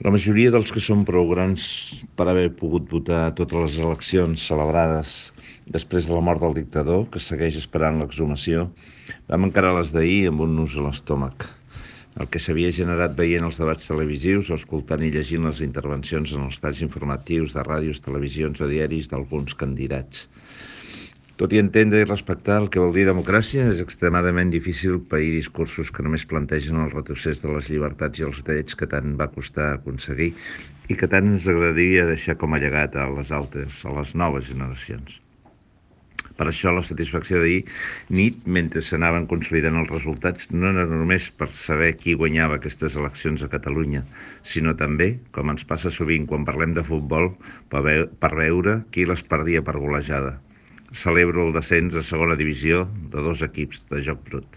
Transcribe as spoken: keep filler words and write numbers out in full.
La majoria dels que són prou grans per haver pogut votar totes les eleccions celebrades després de la mort del dictador, que segueix esperant l'exhumació, vam encarar les d'ahir amb un nus a l'estómac. El que s'havia generat veient els debats televisius o escoltant i llegint les intervencions en els talls informatius de ràdios, televisions o diaris d'alguns candidats. Tot i entendre i respectar el que vol dir democràcia, és extremadament difícil pair discursos que només plantegen el retrocés de les llibertats i els drets que tant va costar aconseguir i que tant ens agradaria deixar com a llegat a les altres, a les noves generacions. Per això la satisfacció d'ahir nit, mentre s'anaven consolidant els resultats, no era només per saber qui guanyava aquestes eleccions a Catalunya, sinó també, com ens passa sovint quan parlem de futbol, per veure qui les perdia per golejada. Celebro el descens a segona divisió de dos equips de joc brut.